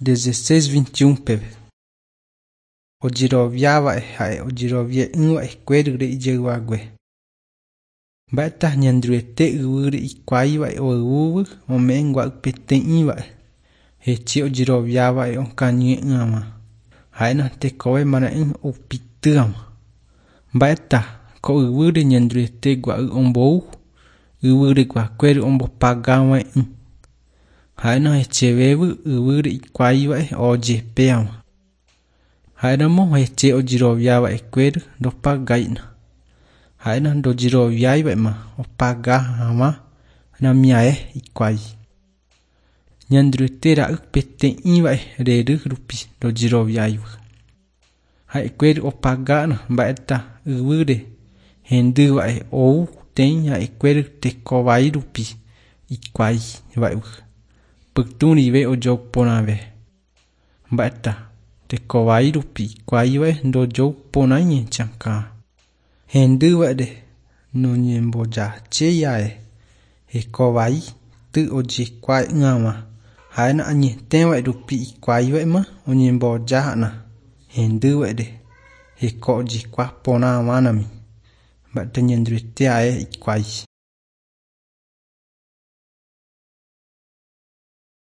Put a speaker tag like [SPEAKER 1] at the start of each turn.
[SPEAKER 1] 16:21 peve. Ojirovia va'e ha'e ojirovie va'e kuerre iyeuague. Mba'ta ñandruete yvýre ikuái va'e oúvy ome'ẽ ngua'ypeteĩ va'e. Hechi ojirovia va'e okañy'ỹva. Ha'éna tekove mara'ỹ oupitýva. Mba'éta ko yvýre ñandruete gua'y ombou, yvýre guakuére ombopagava'ekỹ. Ha'éna echevevy yvýre ikuái va'e ojepéva. Ha'éramo heche ojirovia va'e kuéra ndopaga'ína. Ha'éna ndojiroviái va'éma opagahãva namiae ikuái. Ñandruete ra'ypeteĩ va'e rery rupi ndojiroviáiva. Ha'e kuéra opaga'na mba'éta yvýre hendy va'e ou teĩ ha'e kuéra tekovái rupi ikuái va'evy. Pytũ rive ojouporãve. Mba'éta tekovái rupi ikuái va'e ndojouporãiña chakã. Hendy va'ere noñembojaséiae hekovái ty ojekuaa'ỹva. Ha'éna añete va'e rupi ikuái va'éma oñembojáha'na hendy va'ere heko ojekuaporãvanami. Mba'éta ñandruete ae ikuái.